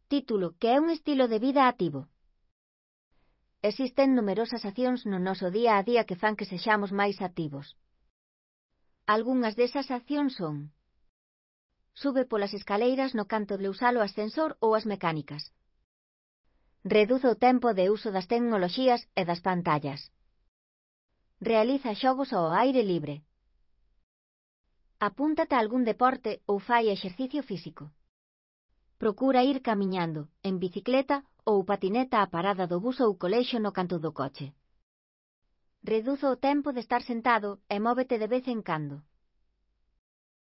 Título: que é un estilo de vida activo. Existen numerosas accións no noso día a día que fan que sexamos máis activos. Algunhas desas accións son: sube polas escaleiras no canto de usar o ascensor ou as mecánicas. Reduce o tempo de uso das tecnoloxías e das pantallas. Realiza xogos ao aire libre. Apúntate a algún deporte ou fai exercicio físico. Procura ir camiñando, en bicicleta ou patineta á parada do bus ou colexio no canto do coche. Reduce o tempo de estar sentado e móvete de vez en cando.